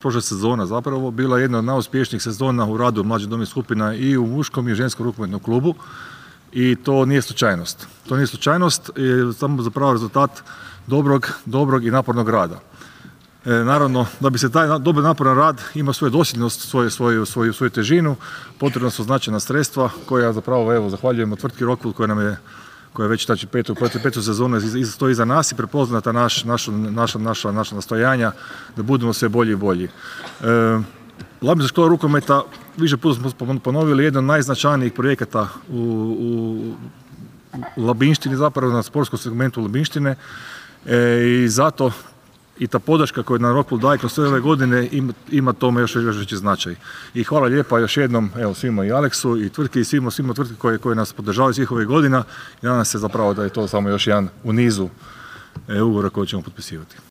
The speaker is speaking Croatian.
Prošla sezona zapravo bila jedna od najuspješnijih sezona u radu mlađih domovnih skupina i u muškom i ženskom rukometnom klubu i to nije slučajnost. To nije slučajnost, je samo zapravo rezultat dobrog i napornog rada. Naravno, da bi se taj dobar naporan rad imao svoju dosljednost, svoju težinu, potrebna su značajna sredstva koja zapravo, evo, zahvaljujemo tvrtki Rockwool koja je već znači petu sezonu stoji iza nas i prepoznata naša nastojanja da budemo sve bolji i bolji. Labinska škola rukometa, više puta smo ponovili, jedan od najznačajnijih projekata u Labinštini, zapravo na sportskom segmentu Labinštine, i zato i ta podrška koju nam Rockwool daje kroz sve ove godine ima tome još veći značaj. I hvala lijepa još jednom, evo, svima, i Aleksu i tvrtki i svima tvrtki koje nas podržavaju svih ovih godina i nadam se zapravo da je to samo još jedan u nizu ugovora koje ćemo potpisivati.